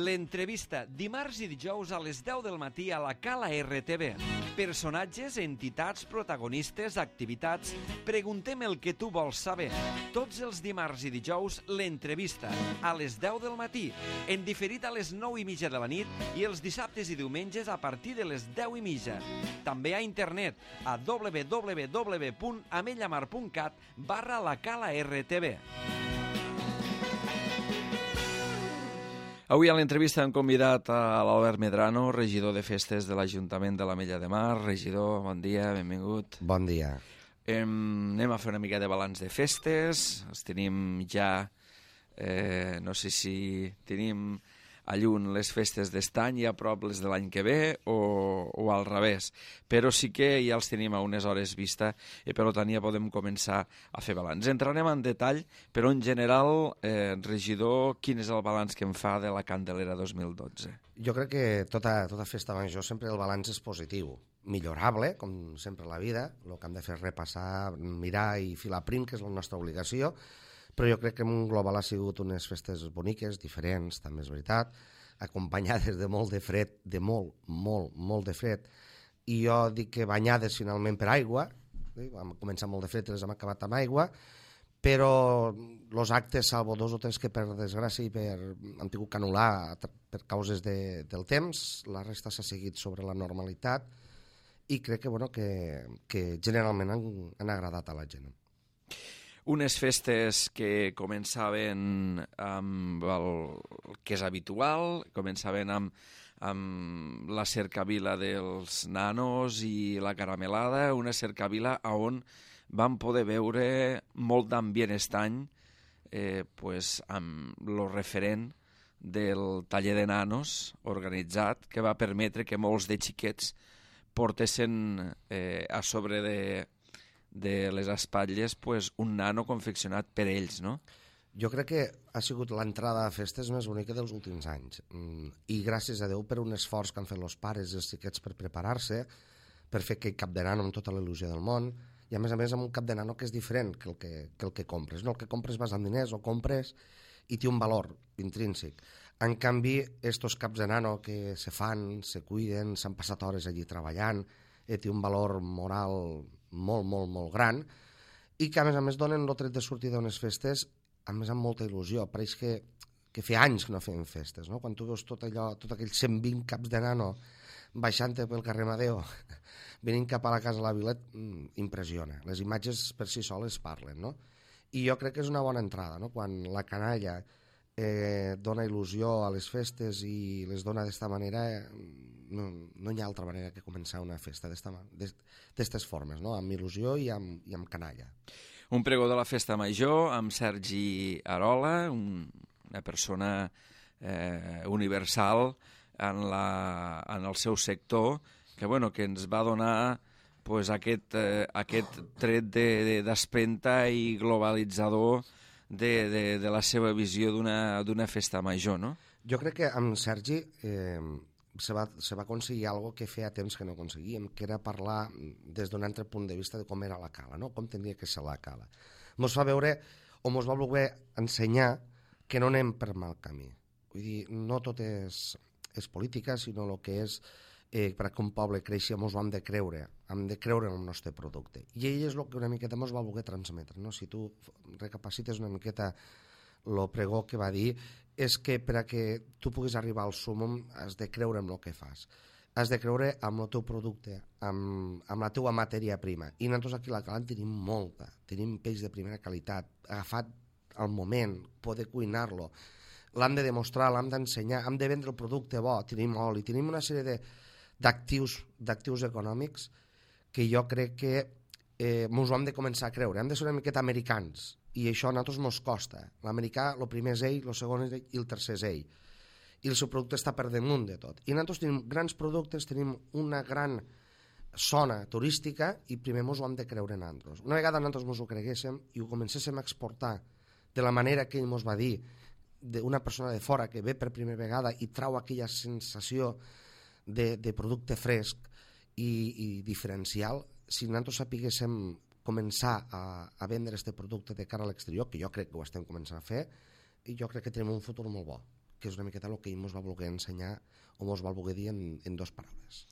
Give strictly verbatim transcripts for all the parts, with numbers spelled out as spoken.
L'entrevista, dimarts i dijous a les deu del matí a la Cala R T V. Personatges, entitats, protagonistes, activitats... Preguntem el que tu vols saber. Tots els dimarts i dijous, l'entrevista, a les deu del matí, en diferit a les nou i mitja de la nit i els dissabtes i diumenges a partir de les deu i mitja. També a internet, a w w w punt amellamar punt cat barra la Cala R T V. Avui a l'entrevista hem convidat a l'Albert Medrano, regidor de festes de l'Ajuntament de l'Ametlla de Mar. Regidor, bon dia, benvingut. Bon dia. Em, anem a fer una mica de balanç de festes. Els tenim ja, eh, no sé si tenim a lluny les festes d'estany i a prop les de l'any que ve o, o al revés. Però sí que ja els tenim a unes hores vista i per tant ja podem començar a fer balanç. Entrarem en detall, però en general, eh, regidor, quin és el balanç que em fa de la Candelera dos mil dotze? Jo crec que tota, tota festa major sempre el balanç és positiu. Millorable, com sempre a la vida. El que hem de fer és repassar, mirar i filar prim, que és la nostra obligació. Però jo crec que en global ha sigut unes festes boniques, diferents, també és veritat, acompanyades de molt de fred, de molt, molt, molt de fred, i jo dic que banyades finalment per aigua, eh? Vam començar molt de fred i les hem acabat amb aigua, però els actes, salvo dos o tres que per desgràcia i per, han tingut que anul·lar per causes de, del temps, la resta s'ha seguit sobre la normalitat i crec que, bueno, que, que generalment han, han agradat a la gent. Unes festes que començaven amb el que és habitual, començaven amb, amb la cercavila dels nanos i la caramelada, una cercavila on vam poder veure molt d'ambient estany, eh, pues, amb el referent del taller de nanos organitzat, que va permetre que molts de xiquets portessin eh, a sobre de... de les espatlles, pues, un nano confeccionat per ells, no? Jo crec que ha sigut l'entrada a festes més bonica dels últims anys. I gràcies a Déu per un esforç que han fet els pares i els xiquets per preparar-se, per fer aquell cap de nano amb tota la il·lusió del món, i a més a més amb un cap de nano que és diferent que el que, que, el que compres. No, el que compres vas amb diners, o compres i té un valor intrínsec. En canvi, estos caps de nano que se fan, se cuiden, s'han passat hores allí treballant, eh, té un valor moral molt, molt, molt gran, i que a més a més donen el tret de sortir d'unes festes, a més amb molta il·lusió. Pareix que, que fa anys que no fem festes, no? Quan tu veus tot allò, tot aquells cent vint caps de nano baixant pel carrer Amadeo, venint cap a la casa de la Vilet, impressiona. Les imatges per si soles parlen, no? I jo crec que és una bona entrada, no? Quan la canalla eh, dona il·lusió a les festes i les dona d'esta manera, eh, no, no hi ha altra manera que començar una festa d'aquestes formes, no? Amb il·lusió i amb, i amb canalla. Un pregó de la festa major amb Sergi Arola, un, una persona eh, universal en, la, en el seu sector, que, bueno, que ens va donar pues, aquest, eh, aquest tret d'espenta de, i globalitzador de, de, de la seva visió d'una festa major, no? Jo crec que amb Sergi eh, se va, se va aconseguir algo que feia temps que no aconseguíem, que era parlar des d'un altre punt de vista de com era la cala, no? Com tenia que ser la cala. Ens fa veure, o ens va voler ensenyar que no anem per mal camí. Vull dir, no tot és, és política, sinó el que és eh, perquè un poble creixi, ens ho hem de creure, hem de creure en el nostre producte. I ell és el que una miqueta ens va voler transmetre, no? Si tu recapacites una miqueta el pregó que va dir, és que per a que tu puguis arribar al súmmum has de creure en el que fas. Has de creure en el teu producte, amb, amb la teua matèria prima. I nosaltres aquí a la Cala en tenim molta. Tenim peix de primera qualitat, agafat al moment, poder cuinar-lo. L'hem de demostrar, l'hem d'ensenyar, hem de vendre el producte bo, tenim oli, tenim una sèrie d'actius d'actius econòmics que jo crec que eh, ens ho hem de començar a creure. Hem de ser una miqueta americans. I això a nosaltres ens costa. L'americà, el primer és ell, el segon és ell i el tercer és ell. I el seu producte està per damunt de tot. I nosaltres tenim grans productes, tenim una gran zona turística i primer ens ho hem de creure en nosaltres. Una vegada nosaltres ens ho creguéssim i ho comencéssim a exportar de la manera que ell ens va dir, d'una persona de fora que ve per primera vegada i trau aquella sensació de, de producte fresc i, i diferencial, si nosaltres sapiguéssim començar a, a vendre aquest producte de cara a l'exterior, que jo crec que ho estem començant a fer, i jo crec que tenim un futur molt bo. que és una miqueta el que ell ens va voler ensenyar o ens va voler dir en, en dues paraules.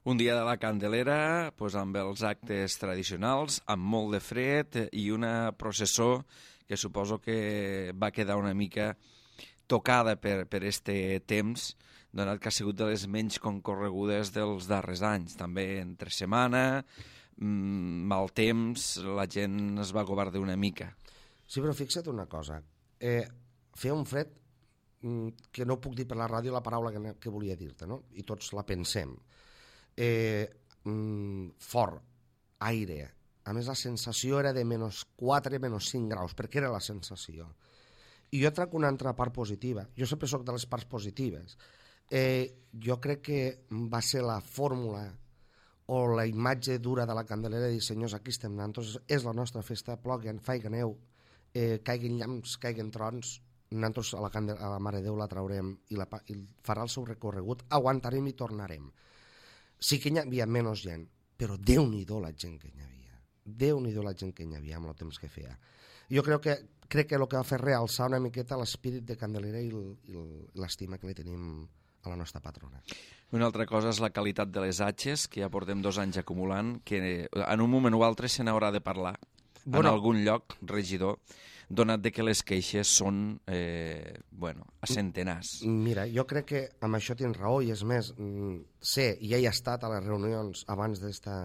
Un dia de la Candelera, pues, amb els actes tradicionals, amb molt de fred i una processó que suposo que va quedar una mica tocada per, per este temps, donat que ha sigut de les menys concorregudes dels darrers anys. També entre setmana, mmm, mal temps, la gent es va governar una mica. Sí, però fixa't una cosa. Eh, feia un fred mm, que no puc dir per la ràdio la paraula que, que volia dir-te, no? I tots la pensem. Eh, mm, fort, aire. A més, la sensació era de menys quatre, menys cinc graus, perquè era la sensació. I jo trac una altra part positiva. Jo sempre soc de les parts positives. Eh, jo crec que va ser la fórmula o la imatge dura de la Candelera de dir, senyors, aquí estem nosaltres, és la nostra festa, ploguen, faiga neu, eh, caiguin llamps, caiguin trons, nosaltres a la, Candel a la Mare Déu la traurem i, la, i farà el seu recorregut, aguantarem i tornarem. Sí que hi havia menys gent, però Déu-n'hi-do la gent que hi havia. Déu-n'hi-do la gent que hi havia amb el temps que feia. Jo crec que, crec que el que va fer realçar una miqueta l'espírit de Candelera i l'estima que li tenim a la nostra patrona. Una altra cosa és la qualitat de les atxes, que ja portem dos anys acumulant, que en un moment o altre se n'haurà de parlar bueno, en algun lloc, regidor, donat de que les queixes són eh, bueno, a centenars. Mira, jo crec que amb això tens raó, i és més, sé, i ja he estat a les reunions abans d'esta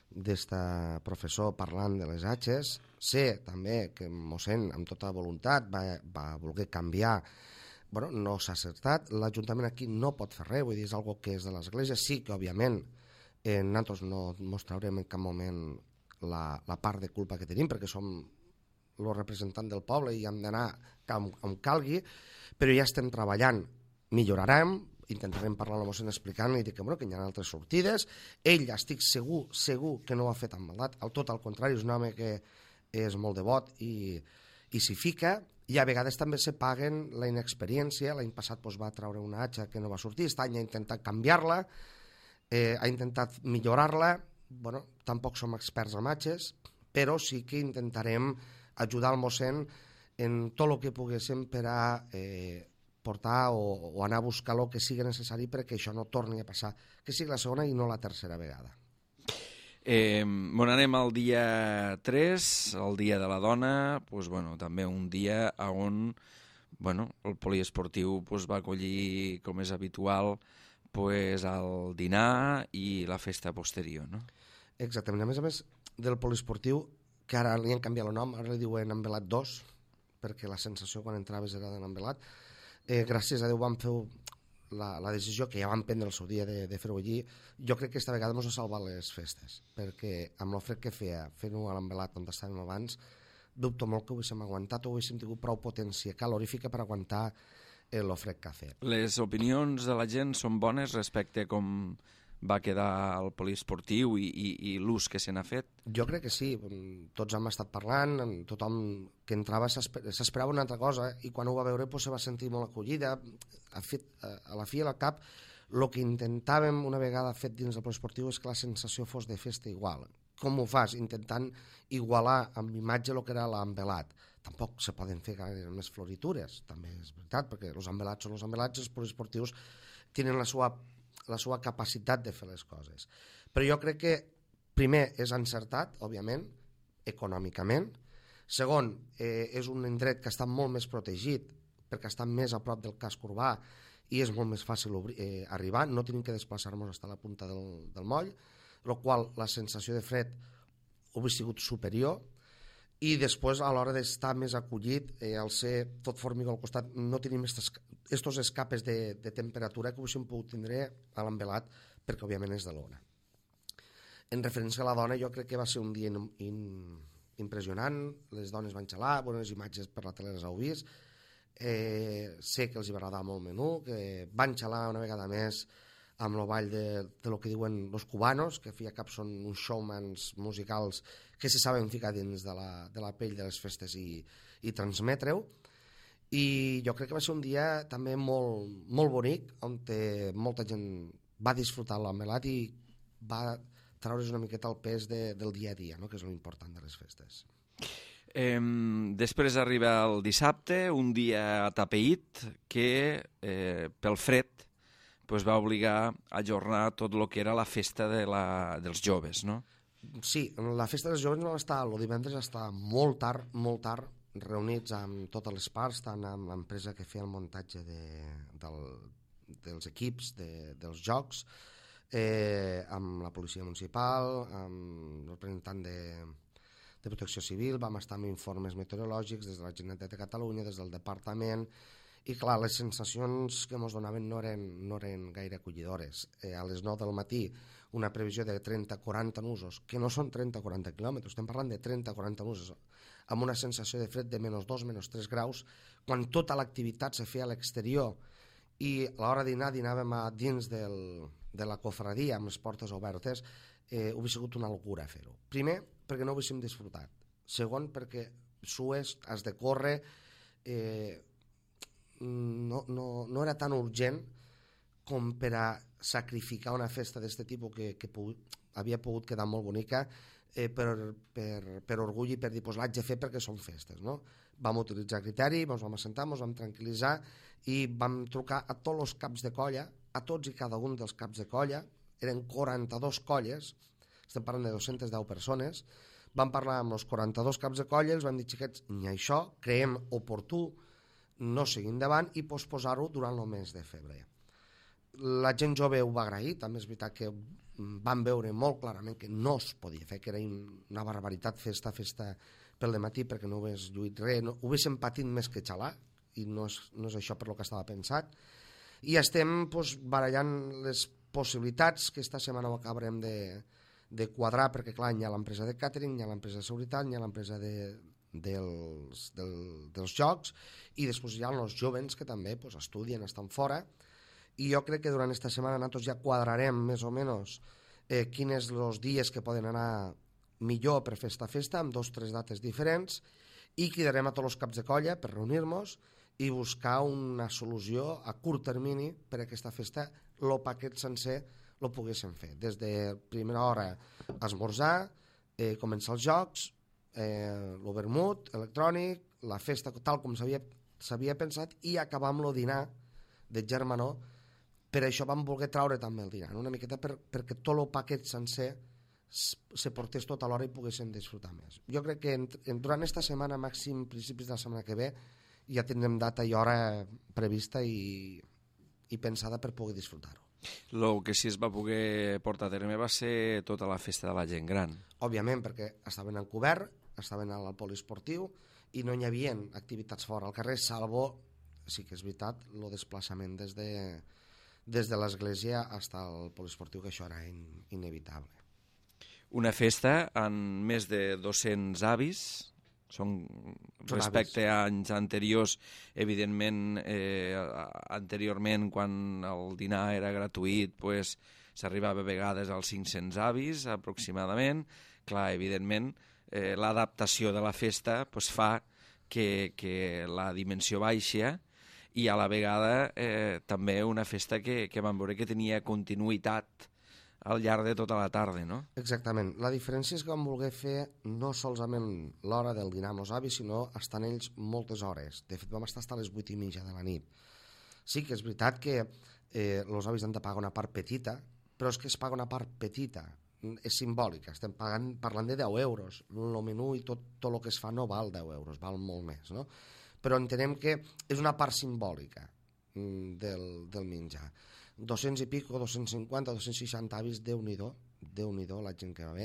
d'esta professor parlant de les atxes, sé també que mossèn amb tota voluntat va, va voler canviar. Bueno, no s'ha acertat, l'Ajuntament aquí no pot fer res, vull dir, és una cosa que és de l'Església, sí que òbviament eh, nosaltres no ens traurem en cap moment la, la part de culpa que tenim, perquè som el representant del poble i hem d'anar com, com calgui, però ja estem treballant, millorarem, intentarem parlar amb el mossèn explicant-li que, bueno, que hi ha altres sortides. Ell, estic segur, segur que no ho ha fet amb maldat, al tot al contrari, és un home que és molt devot i, i s'hi fica, i a vegades també se paguen la inexperiència. L'any passat doncs, va treure una atxa que no va sortir, aquest any ha intentat canviar-la, eh, ha intentat millorar-la. Bueno, tampoc som experts en atxes, però sí que intentarem ajudar el mossèn en tot el que poguéssim per a eh, portar o, o anar a buscar el que sigui necessari perquè això no torni a passar, que sigui la segona i no la tercera vegada. Eh, bon, anem al dia tres, el dia de la dona, pues, bueno, també un dia on bueno, el poliesportiu pues, va acollir, com és habitual, pues, el dinar i la festa posterior, no? Exactament. A més a més del poliesportiu, que ara li han canviat el nom, ara li diuen Envelat dos, perquè la sensació quan entraves era de l'Envelat. Eh, gràcies a Déu vam fer la, la decisió que ja vam prendre el seu dia de, de fer-ho allí. Jo crec que aquesta vegada ens ha salvat les festes, perquè amb el fred que feia fent-ho a l'Envelat on estàvem abans, dubto molt que ho haguéssim aguantat o haguéssim tingut prou potència calorífica per aguantar el fred que ha fet. Les opinions de la gent són bones respecte a com va quedar el poliesportiu i, i, i l'ús que se n'ha fet? Jo crec que sí, tots hem estat parlant, tothom que entrava s'esperava una altra cosa i quan ho va veure doncs, se va sentir molt acollida. A, fet, a la fi i al cap, el que intentàvem una vegada fet dins del poliesportiu és que la sensació fos de festa igual. Com ho fas? Intentant igualar amb imatge el que era l'envelat. Tampoc se poden fer gaire més floritures, també és veritat, perquè els envelats són els envelats i els poliesportius tenen la seva la seva capacitat de fer les coses. Però jo crec que, primer, és encertat, òbviament, econòmicament. Segon, eh, és un indret que està molt més protegit, perquè està més a prop del casc urbà i és molt més fàcil obrir, eh, arribar, no tenim que desplaçar-nos fins a la punta del, del moll, el qual la sensació de fred hauria sigut superior, i després a l'hora d'estar més acollit, eh, al ser tot formigó al costat, no tenim aquests escapes de, de temperatura que haguéssim pogut tindre a l'envelat, perquè òbviament és de l'ona. En referència a la dona, jo crec que va ser un dia in, in, impressionant, les dones van xalar, bones imatges per la tele les heu vist, eh, sé que els hi va agradar molt el menú, que van xalar una vegada més amb el ball de, de lo que diuen los cubanos, que fi a cap són uns showmans musicals que se saben ficar dins de la, de la pell de les festes i, i transmetre-ho. I jo crec que va ser un dia també molt, molt bonic, on molta gent va disfrutar l'envelat i va traure's una miqueta el pes de, del dia a dia, no? Que és l'important de les festes. Eh, després arriba el dissabte, un dia atapeït que eh, pel fred pues, va obligar a ajornar tot el que era la festa de la, dels joves, no? Sí, la festa dels joves no va estar, el divendres està molt tard, molt tard, reunits amb totes les parts, tant amb l'empresa que feia el muntatge de, del, dels equips, de, dels jocs, eh, amb la policia municipal, amb el representant de, de Protecció Civil, vam estar amb informes meteorològics des de la Generalitat de Catalunya, des del departament, i clar, les sensacions que ens donaven no eren, no eren gaire acollidores. Eh, a les nou del matí una previsió de trenta a quaranta nusos, que no són trenta a quaranta quilòmetres, estem parlant de trenta a quaranta nusos, amb una sensació de fred de menys dos, menys tres graus, quan tota l'activitat se feia a l'exterior i a l'hora de dinar dinàvem a dins del, de la cofradia amb les portes obertes, eh, hauria sigut una locura fer-ho. Primer, perquè no ho haguéssim disfrutat. Segon, perquè sues, has de córrer, eh, no, no, no era tan urgent com per a sacrificar una festa d'aquest tipus que, que pu havia pogut quedar molt bonica eh, per, per, per orgull i per dir, pues, l'haig de fer perquè són festes, no? Vam utilitzar criteri, ens vam assentar, ens vam tranquil·litzar i vam trucar a tots els caps de colla, a tots i cada un dels caps de colla, eren quaranta-dues colles, estem parlant de dues-centes deu persones, vam parlar amb els quaranta-dos caps de colla, els vam dir, xiquets, ni això, creiem oportú no seguir endavant i posposar-ho durant el mes de febrer. La gent jove ho va agrair, també és veritat que van veure molt clarament que no es podia fer, que era una barbaritat festa, festa pel dematí perquè no ho hagués lluit res, no, ho haguéssim patit més que xalar, i no és, no és això per lo que estava pensat, i estem pues, barallant les possibilitats que esta setmana ho acabarem de, de quadrar, perquè clar, hi ha l'empresa de càtering, hi ha l'empresa de seguretat, hi ha l'empresa de dels, del, dels jocs, i després hi ha els jovens que també pues, estudien, estan fora, i jo crec que durant aquesta setmana nosaltres ja quadrarem més o menys eh, quins els dies que poden anar millor per fer esta festa, amb dos o tres dates diferents, i cridarem a tots els caps de colla per reunir-nos i buscar una solució a curt termini per a aquesta festa, el paquet sencer el poguéssim fer. Des de primera hora esmorzar, eh, començar els jocs, eh, el vermut electrònic, la festa tal com s'havia pensat, i acabar amb el dinar de germanor. Per això vam voler treure també el dinar, una miqueta per, perquè tot el paquet sencer se portés tot a l'hora i poguéssim disfrutar més. Jo crec que en, en, durant aquesta setmana, màxim principis de la setmana que ve, ja tindrem data i hora prevista i, i pensada per poder disfrutar-ho. El que sí es va poder portar a terme va ser tota la festa de la gent gran. Òbviament, perquè estaven en cobert, estaven al poliesportiu i no hi havia activitats fora al carrer, salvo, sí que és veritat, el desplaçament des de, des de l'església fins al poliesportiu, que això era in, inevitable. Una festa amb més de dos-cents avis, són respecte a anys anteriors, evidentment, eh, anteriorment, quan el dinar era gratuït, pues, s'arribava a vegades als cinc-cents avis, aproximadament. Clar, evidentment, eh, l'adaptació de la festa pues, fa que, que la dimensió baixa, i a la vegada eh, també una festa que, que vam veure que tenia continuïtat al llarg de tota la tarda, no? Exactament. La diferència és que vam voler fer no solament l'hora del dinar amb els avis, sinó estar en ells moltes hores. De fet, vam estar fins a les vuit i mitja de la nit. Sí que és veritat que eh, els avis han de pagar una part petita, però és que es paga una part petita, és simbòlica, estem pagant, parlant de deu euros. El menú i tot, tot el que es fa no val deu euros, val molt més, no? Però entenem que és una part simbòlica del, del menjar. dos-cents i pico, dos-cents cinquanta, dos-cents seixanta avis, Déu-n'hi-do, Déu-n'hi-do la gent que va bé.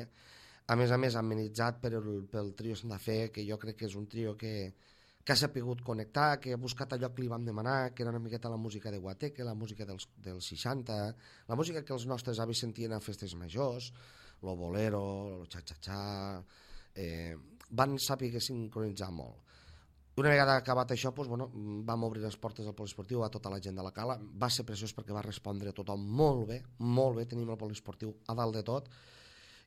A més a més, amenitzat pel, pel trio Santa Fe, que jo crec que és un trio que, que ha sapigut connectar, que ha buscat allò que li vam demanar, que era una miqueta la música de Guateque, la música dels, dels seixanta, la música que els nostres avis sentien a festes majors, lo bolero, lo xa-xa-xa, eh, van saber sincronitzar molt. Una vegada acabat això, doncs, bueno, vam obrir les portes del poliesportiu a tota la gent de la cala. Va ser preciós perquè va respondre tothom molt bé, molt bé, tenim el poliesportiu a dalt de tot.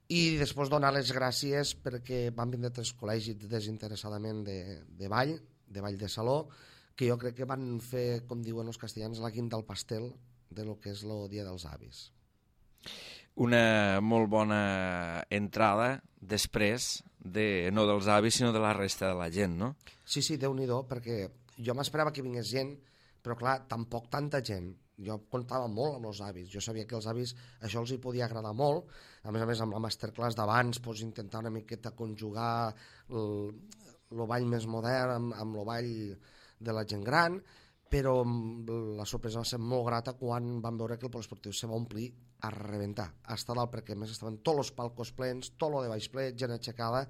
I després donar les gràcies perquè van vindre tres col·legis desinteressadament de, de ball, de ball de saló, que jo crec que van fer, com diuen els castellans, la guinda al pastel de lo que és el Dia dels Avis. Una molt bona entrada després de, no dels avis, sinó de la resta de la gent, no? Sí, sí, Déu-n'hi-do, perquè jo m'esperava que vingués gent, però clar, tampoc tanta gent. Jo comptava molt amb els avis, jo sabia que els avis això els hi podia agradar molt, a més a més amb la masterclass d'abans pues, intentar una miqueta conjugar el, el ball més modern amb, amb el ball de la gent gran, però la sorpresa va ser molt grata quan vam veure que el poliesportiu se va omplir a rebentar, a estar dalt, perquè a més estaven tots els palcos plens, tot lo de baix ple, gent aixecada,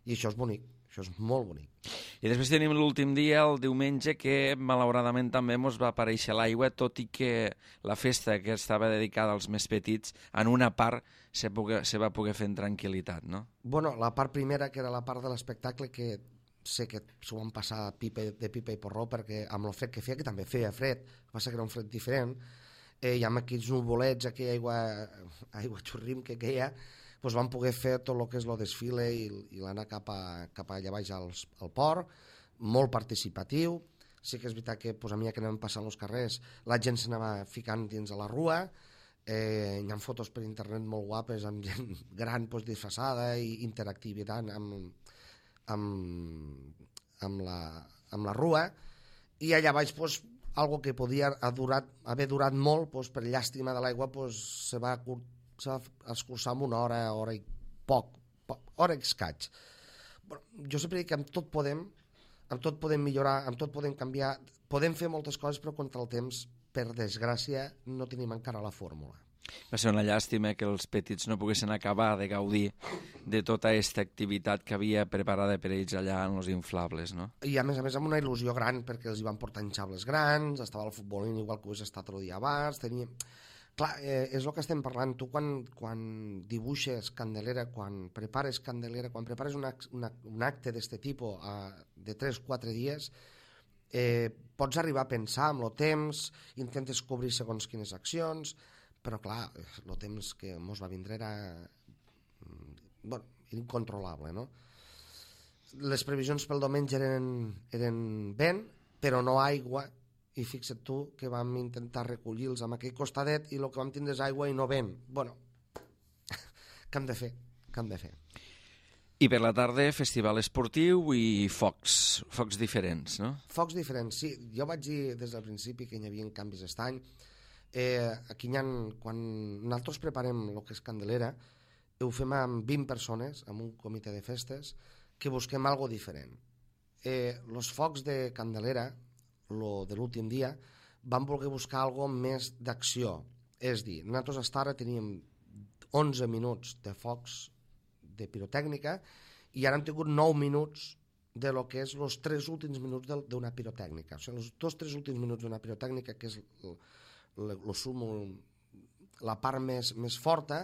i això és bonic, això és molt bonic. I després tenim l'últim dia, el diumenge, que malauradament també ens va aparèixer l'aigua, tot i que la festa que estava dedicada als més petits, en una part se, pogué, se va poder fer en tranquil·litat, no? Bueno, la part primera, que era la part de l'espectacle, que sé que s'ho van passar pipa, de pipa i porró, perquè amb el fred que feia, que també feia fred, va ser que era un fred diferent, eh, i amb aquells nuvolets, aquella aigua, aigua xurrim que queia, doncs van poder fer tot el que és el desfile i, i l'anar cap, a, cap allà baix al, al port, molt participatiu. Sí que és veritat que doncs, a mi que anem passant els carrers, la gent s'anava ficant dins a la rua, eh, hi ha fotos per internet molt guapes amb gent gran doncs, disfressada i interactivitat amb, amb, amb, la, amb la rua, i allà baix doncs, algo que podia ha durat, haver durat molt, doncs, per llàstima de l'aigua doncs, se va se va escurçar amb una hora, hora i poc, poc hora i escaig. Bueno, jo sempre dic que amb tot podem, amb tot podem millorar, amb tot podem canviar, podem fer moltes coses, però contra el temps, per desgràcia, no tenim encara la fórmula. Va ser una llàstima que els petits no poguessin acabar de gaudir de tota aquesta activitat que havia preparada per ells allà en els inflables, no? I a més a més amb una il·lusió gran, perquè els hi van portar enxables grans, estava el futbolín igual que ho hagués estat el dia abans, teníem... Clar, eh, és el que estem parlant. Tu quan, quan dibuixes Candelera, quan prepares Candelera, quan prepares una, una, un acte d'aquest tipus eh, de tres o quatre dies, eh, pots arribar a pensar amb el temps, intentes cobrir segons quines accions, però clar, el temps que ens va vindre era, bueno, incontrolable, no? Les previsions pel diumenge eren, eren vent, però no aigua, i fixa't tu que vam intentar recollir-los amb aquell costadet i el que vam tindre és aigua i no vent. Bueno, què hem de fer? Què hem de fer? I per la tarda, festival esportiu i focs, focs diferents, no? Focs diferents, sí. Jo vaig dir des del principi que hi havia canvis aquest any. Eh, aquí hi ha, quan nosaltres preparem el que és Candelera, ho fem amb vint persones, amb un comitè de festes, que busquem algo diferent. Eh, los focs de Candelera, lo de l'últim dia, vam voler buscar algo més d'acció. És dir, nosaltres fins ara teníem onze minuts de focs de pirotècnica i ara hem tingut nou minuts de lo que és els tres últims minuts d'una pirotècnica. O sigui, els dos tres últims minuts d'una pirotècnica, que és el, el, el sum, la part més, més forta,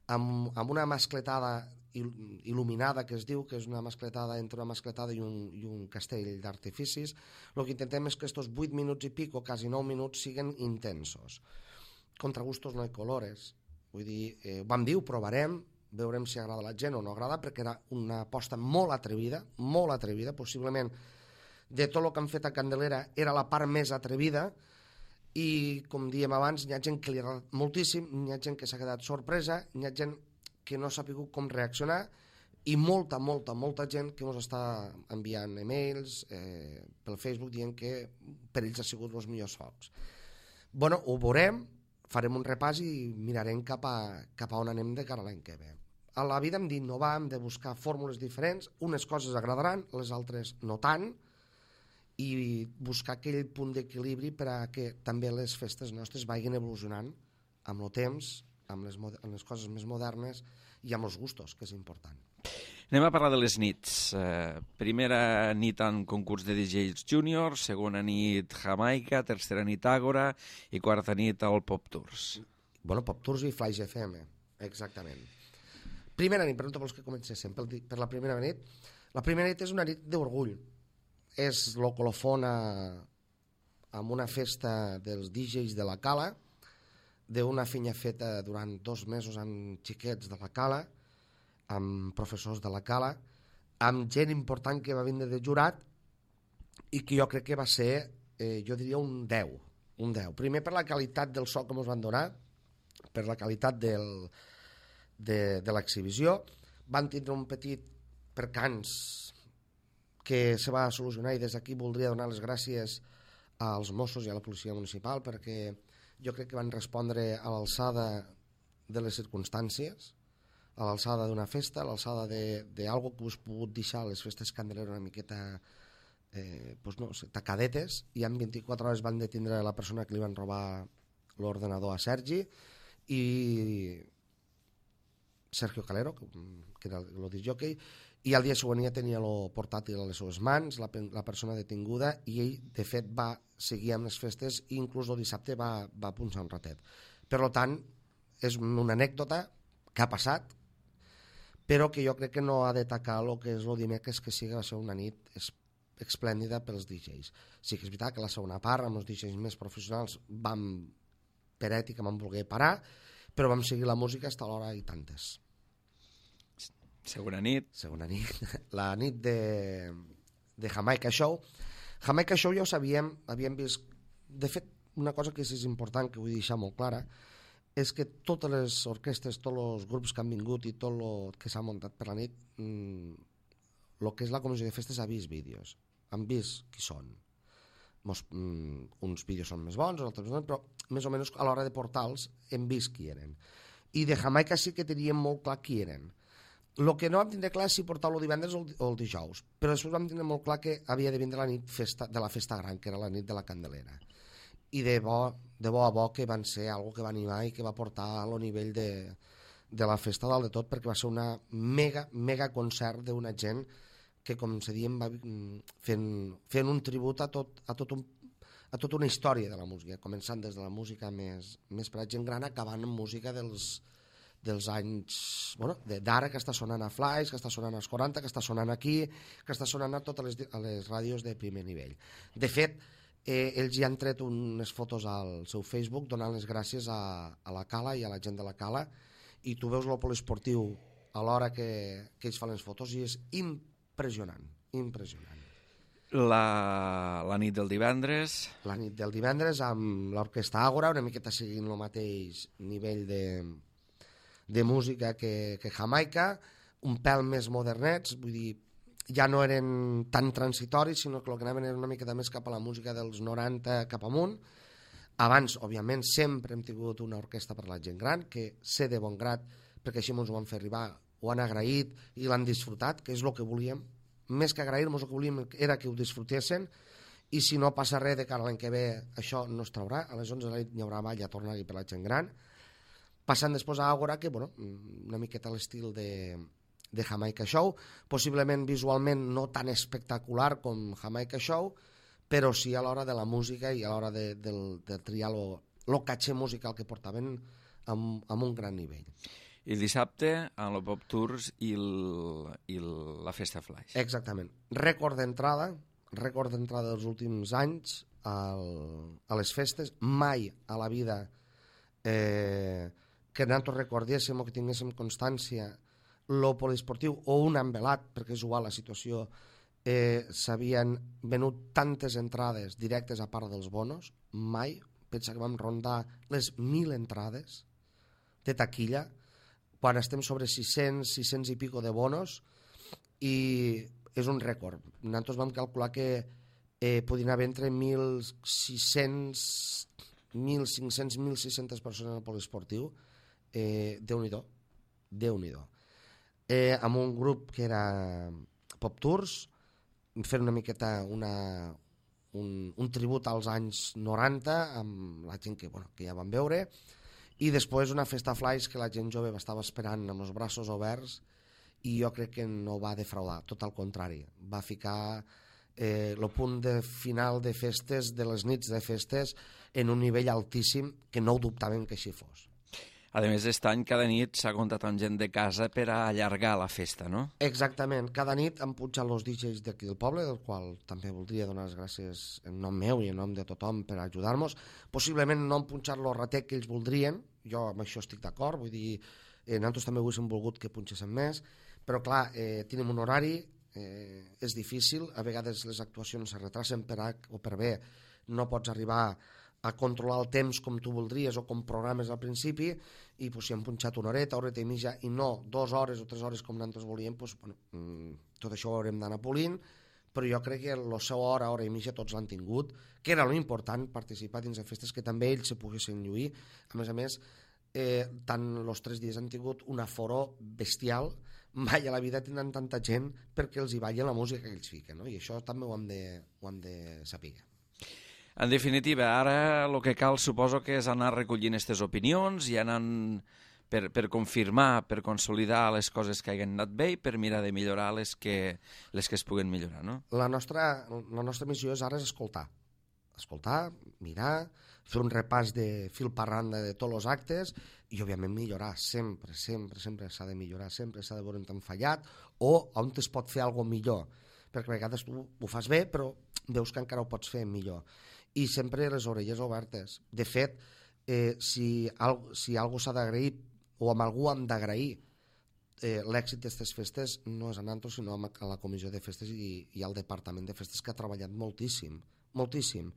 amb, amb una mascletada il·luminada, que es diu, que és una mascletada entre una mascletada i un, i un castell d'artificis. El que intentem és que aquests vuit minuts i pico, quasi nou minuts, siguin intensos. Contra gustos no hay colores. Vull dir, eh, vam dir, ho provarem, veurem si agrada a la gent o no agrada, perquè era una aposta molt atrevida, molt atrevida, possiblement de tot el que han fet a Candelera era la part més atrevida, i com diem abans, hi ha gent que li ha agradat moltíssim, hi ha gent que s'ha quedat sorpresa, hi ha gent que no ha sabut com reaccionar, i molta, molta, molta gent que ens està enviant e-mails eh, pel Facebook dient que per ells ha sigut els millors focs. Bueno, ho veurem, farem un repàs i mirarem cap a, cap a on anem de cara a l'any que ve. A la vida hem d'innovar, hem de buscar fórmules diferents, unes coses agradaran, les altres no tant, i buscar aquell punt d'equilibri per a que també les festes nostres vagin evolucionant amb el temps, amb les, amb les coses més modernes i amb els gustos, que és important. Anem a parlar de les nits. Eh, primera nit en concurs de D Js Junior, segona nit Jamaica, tercera nit Àgora i quarta nit al Pop Tours. Bueno, Pop Tours i Flaix F M, exactament. Primera nit, pregunta pels que comencéssim, per, per la primera nit. La primera nit és una nit d'orgull. És el colofon a, amb una festa dels D Js de la Cala, d'una feina feta durant dos mesos amb xiquets de la Cala, amb professors de la Cala, amb gent important que va vindre de jurat i que jo crec que va ser, eh, jo diria, un deu. Un deu. Primer per la qualitat del so que ens van donar, per la qualitat del, de, de l'exhibició. Van tindre un petit percans que se va solucionar, i des d'aquí voldria donar les gràcies als Mossos i a la policia municipal, perquè jo crec que van respondre a l'alçada de les circumstàncies, a l'alçada d'una festa, a l'alçada d'algo que us pogut deixar les festes Candelera una miqueta eh, pues no sé, tacadetes, i en vint-i-quatre hores van detindre la persona que li van robar l'ordenador a Sergi, i Sergio Calero, que era el discjòquei, i al dia següent ja tenia el portàtil a les seves mans, la, la persona detinguda, i ell, de fet, va seguir amb les festes i inclús el dissabte va, va punxar un ratet. Per tant, és una anècdota que ha passat, però que jo crec que no ha de tacar el que és el dimecres, que sí que va ser una nit esplèndida pels D Js. Sí que és veritat que la segona part, amb els D Js més professionals, vam, per ètica, vam voler parar, però vam seguir la música fins a l'hora i tantes. Segona nit. Segona nit. La nit de, de Jamaica Show. Jamaica Show ja ho sabíem, havíem vist... De fet, una cosa que és important, que vull deixar molt clara, és que totes les orquestres, tots els grups que han vingut i tot el que s'ha muntat per la nit, el mm, que és la comissió de festes ha vist vídeos. Han vist qui són. Mos, mm, uns vídeos són més bons, altres més bons, però més o menys a l'hora de portar-los hem vist qui eren. I de Jamaica sí que teníem molt clar qui eren. El que no vam tindre clar és si portar-lo divendres o el dijous, però després vam tindre molt clar que havia de vindre la nit festa, de la festa gran, que era la nit de la Candelera. I de bo, de bo a bo que van ser algo que va animar i que va portar a lo nivell de, de la festa dalt de tot, perquè va ser una mega, mega concert d'una gent que, com se diem, va fent, fent un tribut a, tot, a, tot un, a tota una història de la música, començant des de la música més, més per a gent gran, acabant amb música dels, dels anys, bueno, d'ara, que està sonant a Flaix, que està sonant als quaranta, que està sonant aquí, que està sonant a totes les, a les ràdios de primer nivell. De fet, eh, ells ja han tret unes fotos al seu Facebook donant les gràcies a, a la Cala i a la gent de la Cala, i tu veus el poliesportiu a l'hora que, que ells fan les fotos i és impressionant, impressionant. La, la nit del divendres... La nit del divendres amb l'Orquestra Àgora, una miqueta seguint el mateix nivell de, de música que, que Jamaica, un pèl més modernets, vull dir, ja no eren tan transitoris, sinó que el que anaven era una miqueta més cap a la música dels noranta cap amunt. Abans, òbviament, sempre hem tingut una orquestra per la gent gran, que sé de bon grat, perquè així ens ho van fer arribar, ho han agraït i l'han disfrutat, que és el que volíem. Més que agrair-nos, el que volíem era que ho disfrutessin, i si no passa res de cara l'any que ve, això no es traurà. A les onze de la nit hi haurà ball a tornar-hi per la gent gran. Passant després a Àgora, que bueno, una miqueta a l'estil de, de Jamaica Show, possiblement visualment no tan espectacular com Jamaica Show, però sí a l'hora de la música i a l'hora de, de, de triar el caché musical que portaven amb, amb un gran nivell. I el dissabte amb el Pop Tours i, el, i el, la Festa Flaix. Exactament. Rècord d'entrada, rècord d'entrada dels últims anys al, a les festes. Mai a la vida eh, que nosaltres recordéssim o que tinguéssim constància lo poliesportiu o un envelat, perquè és igual la situació, eh, s'havien venut tantes entrades directes a part dels bonos. Mai. Pensa que vam rondar les mil entrades de taquilla, quan estem sobre sis-cents, sis-cents i pico de bonos, i és un rècord. Nosaltres vam calcular que eh, podien haver entre mil sis-cents, mil cinc-cents, mil sis-centes persones al poliesportiu. Eh, Déu-n'hi-do, Déu-n'hi-do. Eh, amb un grup que era Pop Tours, fent una miqueta una, un, un tribut als anys noranta, amb la gent que, bueno, que ja van veure, i després una Festa Flaix que la gent jove estava esperant amb els braços oberts, i jo crec que no va defraudar, tot al contrari, va ficar eh, el punt de final de festes, de les nits de festes, en un nivell altíssim que no ho dubtaven que així fos. A més, aquest any cada nit s'ha comptat amb gent de casa per a allargar la festa, no? Exactament. Cada nit han pujat els D Js d'aquí del poble, del qual també voldria donar les gràcies en nom meu i en nom de tothom per ajudar-nos. Possiblement no han punxat el ratet que ells voldrien, jo amb això estic d'acord, vull dir, eh, nosaltres també haguéssim volgut que punxéssim més, però clar, eh, tenim un horari, eh, és difícil, a vegades les actuacions es retracen per A o per B, no pots arribar a controlar el temps com tu voldries o com programes al principi, i pues, si hem punxat una horeta, horeta i mitja, i no dues hores o tres hores com nosaltres volíem, pues, bueno, tot això ho haurem d'anar polint, però jo crec que la seva hora, hora i mitja tots l'han tingut, que era l'important, participar dins de festes, que també ells se poguessin lluir. A més a més, eh, tant els tres dies han tingut un aforo bestial, mai a la vida tindran tanta gent perquè els hi balla la música que ells fiquen, no? I això també ho hem de, ho hem de saber. En definitiva, ara el que cal suposo que és anar recollint aquestes opinions i anar per, per confirmar, per consolidar les coses que hagin anat bé i per mirar de millorar les que, les que es puguen millorar, no? La nostra, la nostra missió és ara és escoltar. Escoltar, mirar, fer un repàs de fil per randa de tots els actes i, òbviament, millorar. Sempre, sempre, sempre s'ha de millorar, sempre s'ha de veure on t'han fallat o on es pot fer alguna cosa millor. Perquè a vegades tu ho fas bé, però veus que encara ho pots fer millor. I sempre les orelles obertes. De fet, eh, si, al, si alguna cosa s'ha d'agrair o amb algú hem d'agrair eh, l'èxit d'aquestes festes, no és a nosaltres, sinó a la comissió de festes i, i al departament de festes, que ha treballat moltíssim, moltíssim.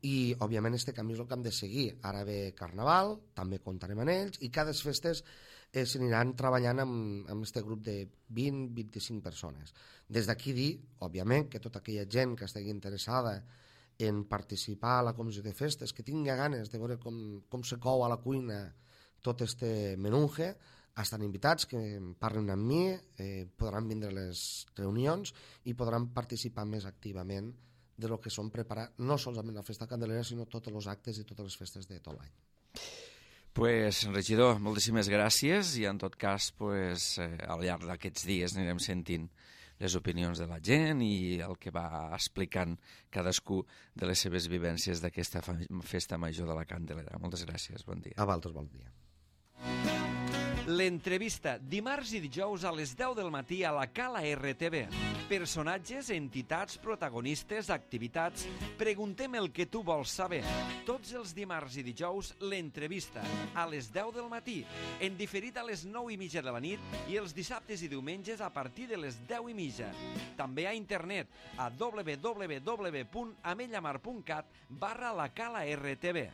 I, òbviament, este camí és el que hem de seguir. Ara ve Carnaval, també comptarem amb ells, i cada festes eh, s'aniran treballant amb, amb este grup de vint a vint-i-cinc persones. Des d'aquí dir, òbviament, que tota aquella gent que estigui interessada en participar a la comissió de festes, que tingui ganes de veure com, com se cou a la cuina tot este menunge, estan invitats, que parlen amb mi, eh, podran vindre a les reunions i podran participar més activament de lo que són preparar no solament la festa candelera, sinó tots els actes i totes les festes de tot l'any. Pues, regidor, moltíssimes gràcies i en tot cas, pues, eh, al llarg d'aquests dies anirem sentint les opinions de la gent i el que va explicant cadascú de les seves vivències d'aquesta festa major de la Candelera. Moltes gràcies, bon dia. A vosaltres, bon dia. L'entrevista, dimarts i dijous a les deu del matí a la Cala R T V. Personatges, entitats, protagonistes, activitats... Preguntem el que tu vols saber. Tots els dimarts i dijous, l'entrevista, a les deu del matí, en diferit a les nou i mitja de la nit i els dissabtes i diumenges a partir de les deu i mitja. També a internet, a w w w punt amellamar punt cat barra la Cala R T V.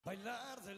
Bailar de